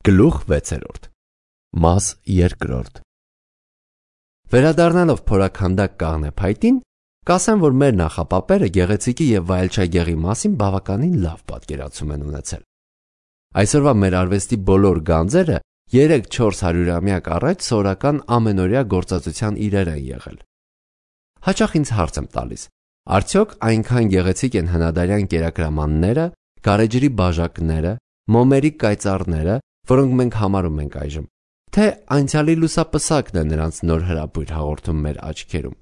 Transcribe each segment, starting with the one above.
Գլուխ 6. Մաս 2. Վերադառնալով փորաքանդակ կաղնե փայտին, կասեմ, որ մեր նախապապերը գեղեցիկի և վայելչագեղի մասին բավականին լավ պատկերացում են ունեցել։ Այսօրվա մեր արվեստի բոլոր գանձերը 300-400-ամյակ առաջ սովորական ամենօրյա գործածության իրեր են եղել։ Հաճախ ինձ հարց եմ տալիս. արդյոք այնքան գեղեցիկ են հնադարյան կերակրամանները, գարեջրի բաժակները, մոմերի կայծառները, որոնք մենք համարում ենք այժմ, թե անցյալի լուսապսակն է նրանց նոր հրապույր հաղորդում մեր աչքերում։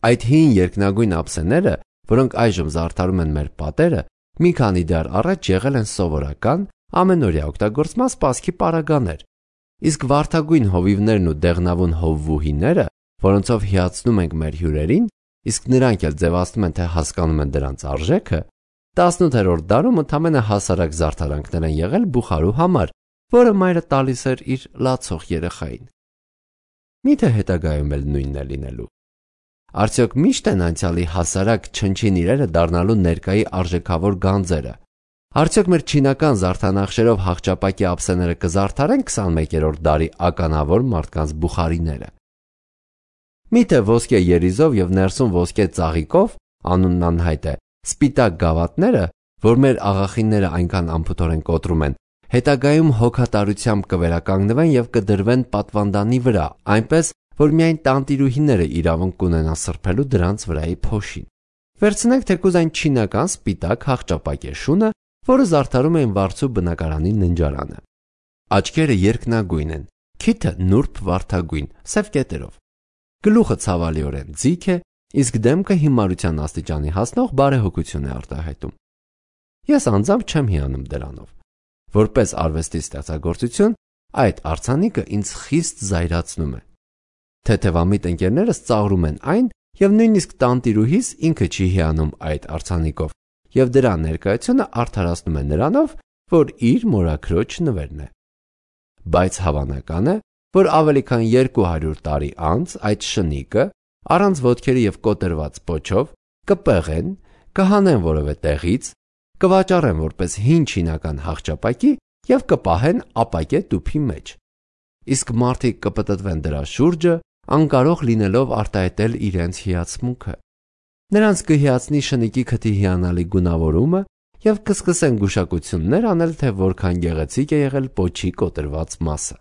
Այդ հին երկնագույն ափսեները, որոնք այժմ զարդարում են մեր պատերը, մի քանի դար առաջ եղել են սովորական, ամենօրյա օգտագործման սպասքի պարագաներ, իսկ վարդագույն հովիվներն ու դեղնավուն հովվուհիները, որոնցով հիացնում ենք մեր հյուրերին, իսկ նրանք էլ ձևացնում են, թե հասկանում են դրանց արժեքը, 18-րդ դարում ընդամենը հասարակ զարդարանքներ են եղել բուխարու համար, որը մայրը տալիս էր իր լացող երեխային։ Միթե հետագայում էլ նույնն է լինելու։ Արդյոք միշտ են անցյալի հասարակ չնչին իրերը դառնալու ներկայի արժեքավոր գանձերը։ Արդյոք մեր չինական զարդանախշերով հաղճապակի ափսեները կզարդարեն 21-րդ դարի ականավոր մարդկանց բուխարիները։ Միթե ոսկե երիզով և ներսում ոսկե ծաղիկով, անունն անհայտ է, սպիտակ գավաթները, որ մեր աղախինները այնքան անփութորեն կոտրում են, հետագայում հոգատարությամբ կվերականգնվեն և կդրվեն պատվանդանի վրա, այնպես, որ միայն տանտիրուհիները իրավունք կունենան սրբելու դրանց վրայի փոշին։ Վերցնենք թեկուզ այն չինական սպիտակ հաղճապակե շունը, որը զարդարում էին վարձու բնակարանի ննջարանը։ Աչքերը երկնագույն են, քիթը նուրբ վարդագույն, սև կետերով։ Գլուխը ցավալիորեն ձիգ է, իսկ դեմքը հիմարության աստիճանի հասնող բարեհոգություն է արտահայտում։ Ես անձամբ չեմ հիանում դրանով։ Որպես արվեստի ստեղծագործություն, այդ արձանիկը ինձ խիստ զայրացնում է։ Թեթևամիտ ընկերներս ծաղրում են այն, և նույնիսկ տանտիրուհիս ինքը չի հիանում այդ արձանիկով, և դրա ներկայությունը արդարացնում է նրանով, որ իր մորաքրոջ նվերն է։ Բայց հավանական է, որ ավելի քան 200 տարի անց այդ շնիկը, առանց ոտքերի և կոտրված պոչով, կպեղեն, կհանեն որևէ տեղից, կվաճառեն որպես հին չինական հաղճապակի և կպահեն ապակե տուփի մեջ։ Իսկ մարդիկ կպտտվեն դրա շուրջը, անկարող լինելով արտահայտել իրենց հիացմունքը։ Նրանց կհիացնի շնիկի քթի հիանալի գունավորումը և կսկսեն գուշակություններ անել, թե որքան գեղեցիկ է եղել պոչի կոտրված մասը։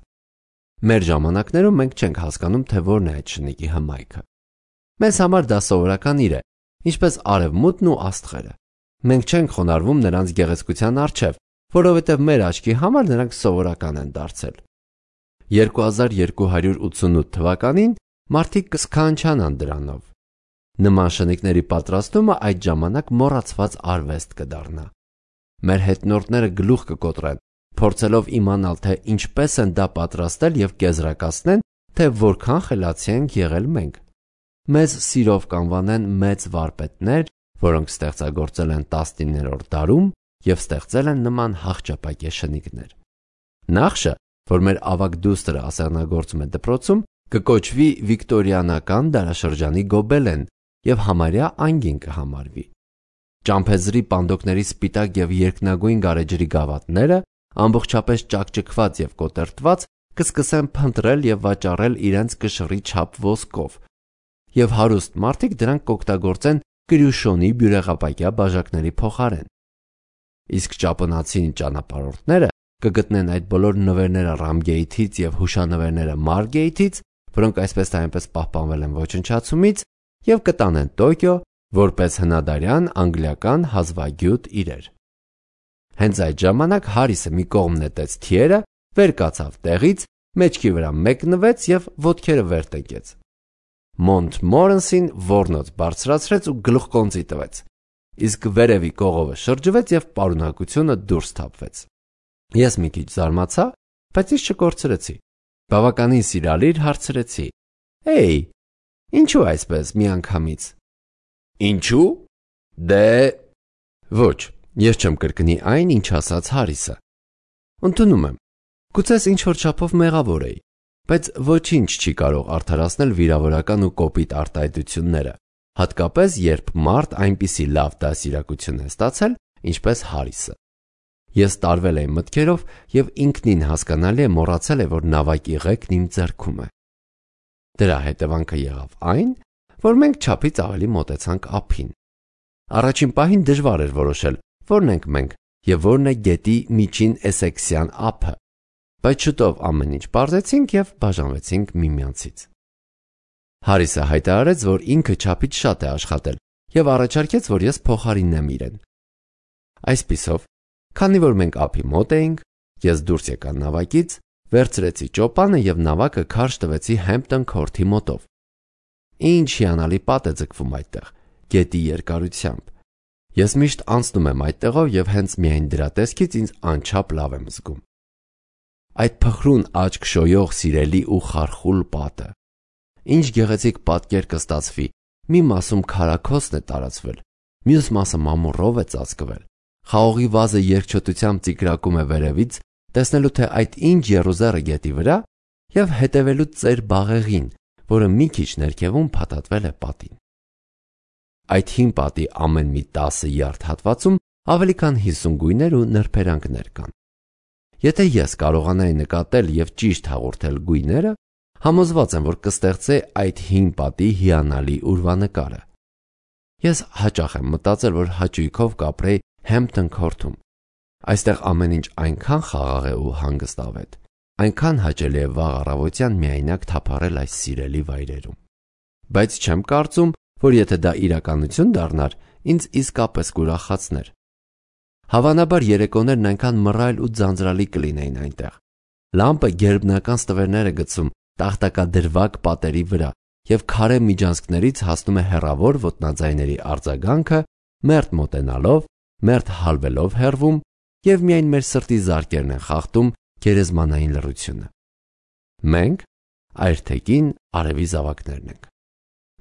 Մեր ժամանակներում մենք չենք հասկանում, թե որն է այդ շնիկի հմայքը։ Մեզ համար դա սովորական իր է, ինչպես արևմուտքն ու աստղերը։ Մենք չենք խոնարհվում նրանց գեղեցկության առջև, որովհետև մեր աչքի համար նրանք սովորական են դարձել։ 2288 թվականին մարդիկ կսքանչանան դրանով։ Նման շնիկների պատրաստումը այդ ժամանակ մոռացված արվեստ կդառնա։ Մեր հետնորդները գլուխ կկոտրեն, փորձելով իմանալ, թե ինչպես են դա պատրաստել և կեզրակացնեն, թե որքան խելացի ենք եղել մենք։ Մեզ սիրով կանվանեն մեծ վարպետներ, որոնք ստեղծագործել են 19-րդ դարում և ստեղծել են նման հաղճապակե շնիկներ։ Նախշը, որ մեր ավագ դուստրը ասեղնագործում է դպրոցում, կկոչվի վիկտորիանական դարաշրջանի գոբելեն և համարյա անգին կհամարվի։ Ճամփեզրի պանդոկների սպիտակ և երկնագույն գարեջրի գավաթները, ամբողջապես ճաքճքված և կոտրտված, կսկսեն փնտրել և վաճառել իրենց կշռի չափ ոսկով, և հարուստ մարդիկ դրանք կօգտագործեն կրյուշոնի բյուրեղապակյա բաժակների փոխարեն։ Իսկ ճապոնացի ճանապարհորդները կգտնեն այդ բոլոր նվերները Ռամգեյթից և հուշանվերները Մարգեյթից, որոնք այսպես թե այնպես պահպանվել են ոչնչացումից, և կտանեն Տոկիո որպես հնադարյան անգլիական հազվագյուտ իրեր։ Հենց այդ ժամանակ Հարիսը մի կողմ նետեց թիերը, վեր կացավ տեղից, մեջքի վրա մեկնվեց և ոտքերը վեր տնկեց։ Մոնտմորենսին ոռնոց բարձրացրեց ու գլուխկոնծի տվեց, իսկ վերևի կողովը շրջվեց և պարունակությունը դուրս թափվեց։ Ես մի քիչ զարմացա, բայց ինձ չկորցրեցի։ Բավականին սիրալիր հարցրեցի. «Էй, ինչու այսպես միանգամից»։ Ինչու՞։ Դե… Ոչ, ես չեմ կրկնի այն, ինչ ասաց Հարիսը։ Ընդունում եմ, գուցե ինչ-որ չափով մեղավոր էի, բայց ոչինչ չի կարող արդարացնել վիրավորական ու կոպիտ արտահայտությունները, հատկապես երբ մարդ այնպիսի լավ դաստիարակություն է ստացել, ինչպես Հարիսը։ Ես տարվել էի մտքերով և ինքնին հասկանալի է մոռացել է, որ նավակի ղեկն իմ ձեռքում է։ Դրա հետևանքը եղավ այն, որ մենք չափից ավելի մոտեցանք ափին։ Առաջին պահին դժվար էր որոշել, որն ենք մենք և որն է գետի միջին Էսեքսյան ափը, բայց շուտով ամեն ինչ պարզեցինք և բաժանվեցինք միմյանցից։ Հարիսը հայտարարեց, որ ինքը չափից շատ է աշխատել և առաջարկեց, որ ես փոխարինեմ իրեն։ Այսպիսով, քանի որ մենք ափի մոտ էինք, ես դուրս եկա նավակից, վերցրեցի ճոպանը և նավակը քարշ տվեցի Հեմփթոն Քորթի մոտով։ Ինչ հիանալի պատ է ձգվում այդտեղ, գետի երկարությամբ։ Ես միշտ անցնում եմ այդտեղով և հենց միայն դրա տեսքից ինձ անչափ լավ եմ զգում։ Այդ փխրուն աչք շոյող սիրելի ու խարխուլ պատը։ Ինչ գեղեցիկ պատկեր կստացվի, մի մասում քարաքոսն է տարածվել, մյուս մասը մամուռով է ծածկվել, խաղողի վազը երկչոտությամբ ծիկրակում է վերևից, տեսնելու թե այդ ինչ եռուզեռ է գետի վրա և հետևելու ծեր բաղեղին, որը մի քիչ ներքևում փաթաթվել է պատին։ Այդ հին պատի ամեն մի 10 յարդ հատվածում ավելի քան 50 գույներ ու նրբերանգներ կան։ Եթե ես կարողանայի նկատել և ճիշտ հաղորդել գույները, համոզված եմ, որ կստեղծե այդ հին պատի հիանալի ուրվանկարը։ Ես հաճախ եմ մտածել, որ հաճույքով կապրեի Հեմփթոն Քորթում։ Այստեղ ամեն ինչ այնքան խաղաղ է ու հանգստավետ, այնքան հաճելի է վաղ առավոտյան միայնակ թափառել այս սիրելի վայրերում։ Բայց չեմ կարծում, որ եթե դա իրականություն դառնար, ինձ իսկապես կուրախացներ։ Հավանաբար երեկոներն այնքան մռայլ ու ձանձրալի կլինեին այնտեղ։ Լամպը գերբնական ստվերներ է գցում տախտակադրվակ պատերի վրա և քարե միջանցքներից հասնում է հեռավոր ոտնաձայների արձագանքը, մերթ մոտենալով, մերթ հալվելով հեռվում և միայն մեր սրտի զարկերն են խախտում գերեզմանային լռությունը։ Մենք այրթեկին արևի զավակներն ենք։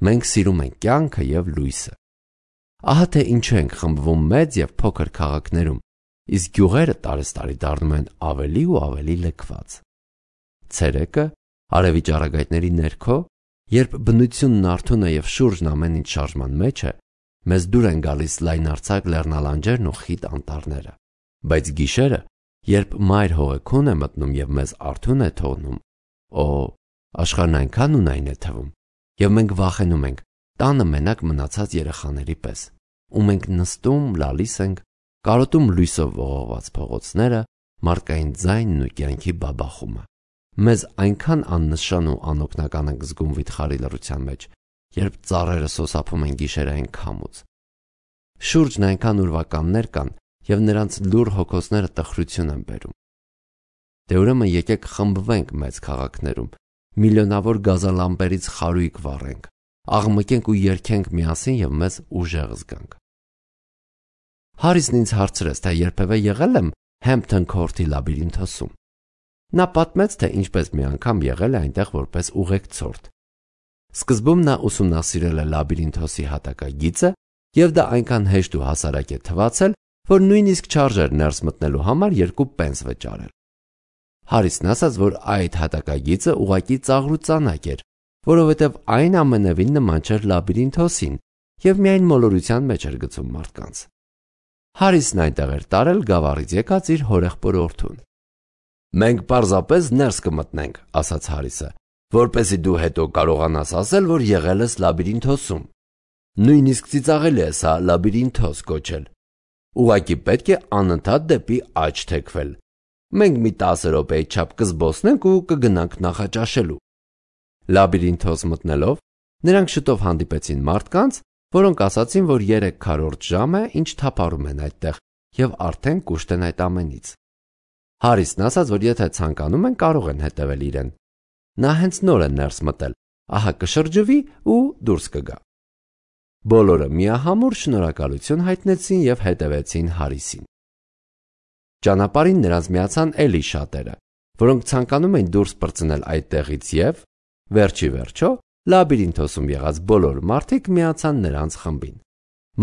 Մենք սիրում ենք կյանքը և լույսը։ Ահա թե ինչու ենք խմբվում մեծ և փոքր քաղաքներում, իսկ գյուղերը տարեցտարի դառնում են ավելի ու ավելի լքված։ Ցերեկը, արևի ճառագայթների ներքո, երբ բնությունն արթուն է և շուրջն ամեն ինչ շարժման մեջ է, մեզ դուր են գալիս լայնարձակ լեռնալանջերն ու խիտ անտառները։ Բայց գիշերը, երբ մայր հողեքուն է մտնում և մեզ արթուն է թողնում, աշխարհն այնքան ունայն է թվում, և մենք վախենում ենք տանը մենակ մնացած երեխաների պես, ու մենք նստում, լալիս ենք, կարոտում լույսով ողողված փողոցները, մարդկային ձայնն ու կյանքի բաբախումը։ Մեզ այնքան աննշան ու անօգնական ենք զգում վիթխարի լռության մեջ, երբ ծառերը սոսափում են գիշերային քամուց։ Շուրջն այնքան ուրվականներ կան, և նրանց լուռ հոգոցները տխրություն են բերում։ Դե ուրեմն եկեք խմբվենք մեծ քաղաքներում, միլիոնավոր գազալամպերից խարույկ վառենք, աղմկենք ու երգենք միասին և մեզ ուժեղ զգանք։ Հարիսն ինձ հարցրեց, թե երբևէ եղել եմ Հեմփթոն Քորթի լաբիրինթոսում։ Նա պատմեց, թե ինչպես մի անգամ եղել է այնտեղ որպես ուղեկցորդ։ Սկզբում նա ուսումնասիրել է լաբիրինթոսի հատակագիծը, և դա այնքան հեշտ ու հասարակ է թվացել, որ նույնիսկ չարժեր ներս մտնելու համար 2 պենս վճարել։ Հարիսն ասաց, որ այդ հատակագիծը ուղղակի ծաղրուծանակ էր, որովհետև այն ամենևին նման չէր լաբիրինթոսին և միայն մոլորության մեջ էր գցում մարդկանց։ Հարիսն այնտեղ էր տարել գավառից եկած իր հորեղբորորդուն։ «Մենք պարզապես ներս կմտնենք», ասաց Հարիսը, «որպեսզի դու հետո կարողանաս ասել, որ եղել ես լաբիրինթոսում։ Նույնիսկ ծիծաղելի է սա լաբիրինթոս կոչել։ Ուղղակի պետք է անընդհատ դեպի աջ թեքվել։ Մենք մի 10 րոպեի չափ կզբոսնենք ու կգնանք նախաճաշելու»։ Լաբիրինթոս մտնելով, նրանք շուտով հանդիպեցին մարդկանց, որոնք ասացին, որ 3/4 ժամ է, ինչ թափառում են այդտեղ և արդեն կուշտ են այդ ամենից։ Հարիսն ասաց, որ եթե ցանկանում են, կարող են հետևել իրեն։ Նա հենց նոր է ներս մտել, ահա կշրջվի ու դուրս կգա։ Բոլորը միահամուռ շնորհակալություն հայտնեցին և հետևեցին Հարիսին։ Ճանապարհին նրանց միացան էլի շատերը, որոնք ցանկանում էին դուրս պրծնել այդտեղից և, վերջի վերջո, լաբիրինթոսում եղած բոլոր մարդիկ միացան նրանց խմբին։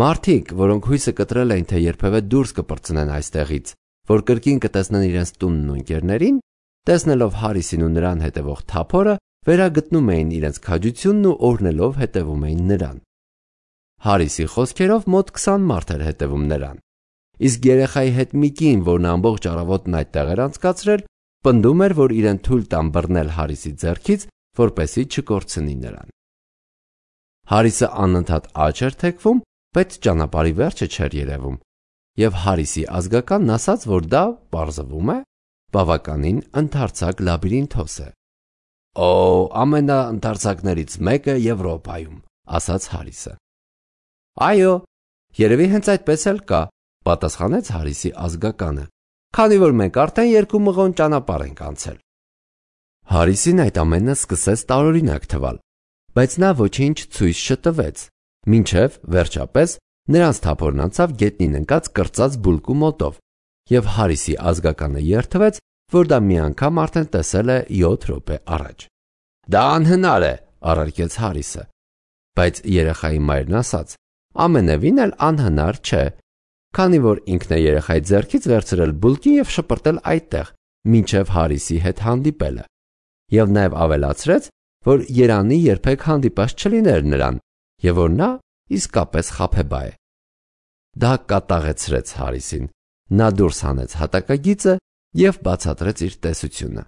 Մարդիկ, որոնք հույսը կտրել էին, թե երբևէ դուրս կպրծնեն այստեղից, որ կրկին կտեսնեն իրենց տունն ու ընկերներին, տեսնելով Հարիսին ու նրան հետևող թափորը, վերագտնում էին իրենց քաջությունն ու օրհնելով հետևում էին նրան։ Հարիսի խոսքերով մոտ 20 մարդ էր հետևում նրան, իսկ երեխայի հետ մի կին, որն ամբողջ առավոտն այդտեղ էր անցկացրել, պնդում էր, որ իրեն թույլ տան բռնել Հարիսի ձեռքից, որպեսզի չկորցնի նրան։ Հարիսը անընդհատ աջ էր թեքվում, բայց ճանապարհի վերջը չէր երևում, եւ Հարիսի ազգականն ասաց, որ դա, պարզվում է, բավականին ընդարձակ լաբիրինթոս է։ «Օ, ամենաընդարձակներից մեկը Եվրոպայում», ասաց Հարիսը։ «Այո, երևի հենց այդպես էլ կա», պատասխանեց Հարիսի ազգականը, քանի որ մենք արդեն 2 մղոն ճանապարհ ենք անցել։ Հարիսին այդ ամենը սկսեց տարօրինակ թվալ, բայց նա ոչինչ ցույց չտվեց, մինչև վերջապես նրանց թափորն անցավ գետնին ընկած կրծած բուլկու մոտով, եւ Հարիսի ազգականը երդվեց, որ դա մի անգամ արդեն տեսել է 7 րոպե առաջ։ «Դա անհնար է», առարկեց Հարիսը, բայց երեխայի մայրն ասաց. «Ամենևին էլ անհնար չէ, քանի որ ինքն է երեխայի ձեռքից վերցրել բուլկին եւ շպրտել այդտեղ, մինչև Հարիսի հետ հանդիպելը, եւ նաեւ ավելացրեց, որ Երանի երբեք հանդիպած չլիներ նրան, եւ որ նա իսկապես խաբեբա է»։ Դա կատաղեցրեց Հարիսին։ Նա դուրս հանեց հատակագիծը եւ բացատրեց իր տեսությունը։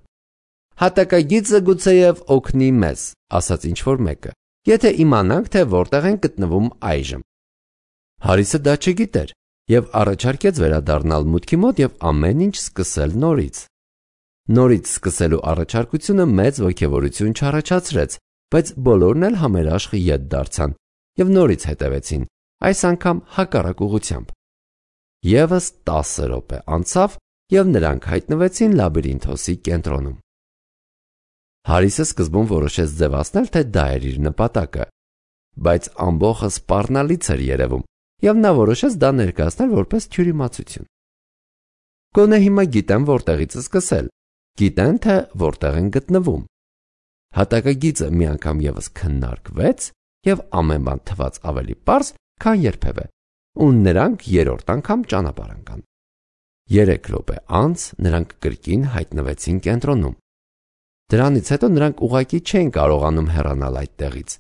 «Հատակագիծը գուցեև օգնի մեզ», ասաց ինչ-որ մեկը, «եթե իմանանք, թե որտեղ են գտնվում այժմ»։ Հարիսը դա չգիտեր եւ առաջարկեց վերադառնալ մուտքի մոտ եւ ամեն ինչ սկսել նորից։ Նորից սկսելու առաջարկությունը մեծ ոգևորություն չառաջացրեց, բայց բոլորն էլ համերաշխ ետ դարձան եւ նորից հետևեցին, այս անգամ հակառակ ուղղությամբ։ Եվս 10 րոպե անցավ եւ նրանք հայտնվեցին լաբիրինթոսի կենտրոնում։ Հարիսը սկզբում որոշեց ձևացնել, թե դա էր իր նպատակը, բայց ամբողջը սպառնալից էր երևում, եւ նա որոշեց դա ներկայացնել որպես թյուրիմացություն։ Գոնե հիմա գիտեմ որտեղից սկսել, գիտեն, թե որտեղ են գտնվում։ Հատակագիծը մի անգամ եւս քննարկվեց եւ ամեն բան թվաց ավելի պարզ, քան երբևէ, ու նրանք 3-րդ անգամ ճանապարհ ընկան։ 3 րոպե անց նրանք կրկին հայտնվեցին կենտրոնում։ Դրանից հետո նրանք ուղղակի չէին կարողանում հեռանալ այդտեղից,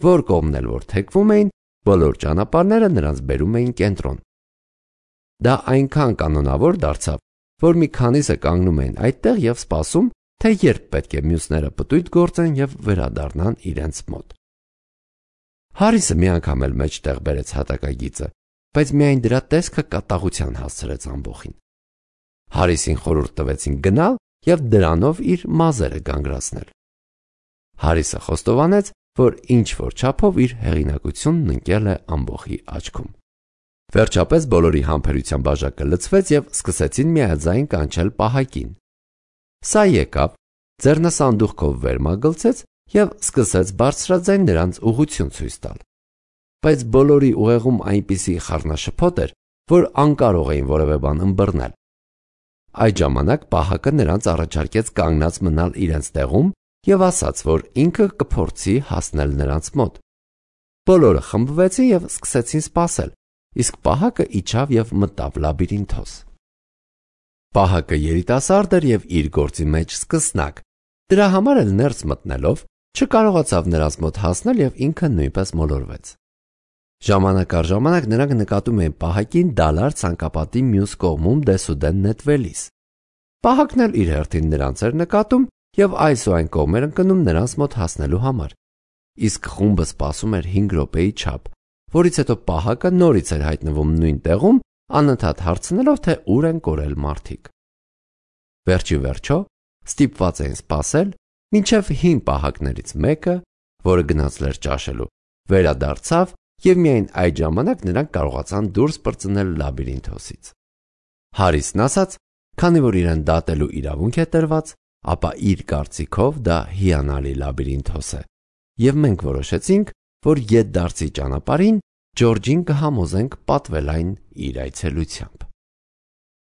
որ կողմն էլ որ թեքվում էին, բոլոր ճանապարհները նրանց բերում էին կենտրոն։ Դա այնքան կանոնավոր դարձավ, որ մի քանիսը կանգնում էին այդտեղ եւ սպասում, թե երբ պետք է մյուսները պտույտ գործեն եւ վերադառնան իրենց մոտ։ Հարիսը մի անգամ էլ մեջտեղ բերեց հատակագիծը, բայց միայն դրա տեսքը կատաղության հասցրեց ամբողին։ Հարիսին խորհուրդ տվեցին գնալ եւ դրանով իր մազերը գանգրացնել։ Հարիսը խոստովանեց, որ ինչ որ չափով իր հեղինակությունն ընկել է ամբողի աչքում։ Վերջապես բոլորի համբերության բաժակը լցվեց եւ սկսեցին միաձայն կանչել պահակին։ Սա եկավ, ձեռնասանդուղքով վեր մագլցեց եւ սկսեց բարձրաձայն նրանց ուղղություն ցույց տալ։ Բայց բոլորի ուղեղում այնպիսի խառնաշփոթ էր, որ անկարող էին որևէ բան ըմբռնել։ Այդ ժամանակ պահակը նրանց առաջարկեց կանգնած մնալ իրենց տեղում եւ ասաց, որ ինքը կփորձի հասնել նրանց մոտ։ Բոլորը խմբվեցին եւ սկսեցին սպասել, իսկ պահակը իջավ եւ մտավ լաբիրինթոս։ Պահակը երիտասարդ էր եւ իր գործի մեջ սկսնակ, դրա համար էլ ներս մտնելով չկարողացավ նրանց մոտ հասնել եւ ինքը նույնպես մոլորվեց։ Ժամանակ առ ժամանակ նրանք նկատում էին պահակին դալար ցանկապատի մյուս կողմում դեսուդեն նետվելիս։ Պահակն էլ իր հերթին նրանց էր նկատում եւ այս ու այն կողմ էր ընկնում նրանց մոտ հասնելու համար։ Իսկ խումբը սպասում էր 5 րոպեի չափ, որից հետո պահակը նորից էր հայտնվում նույն տեղում, անընդհատ հարցնելով, թե ուր են կորել մարդիկ։ Վերջի վերջո ստիպված էին սպասել, մինչև 5 պահակներից մեկը, որը գնացել էր ճաշելու, վերադարձավ եւ միայն այդ ժամանակ նրանք կարողացան դուրս պրծնել լաբիրինթոսից։ Հարիսն ասաց, քանի որ իրեն դատելու իրավունք է տրված, ապա իր կարծիքով դա հիանալի լաբիրինթոս է, եւ մենք որոշեցինք, որ ետդարձի ճանապարհին Ջորջին կհամոզենք պատվել այն իր այցելությամբ։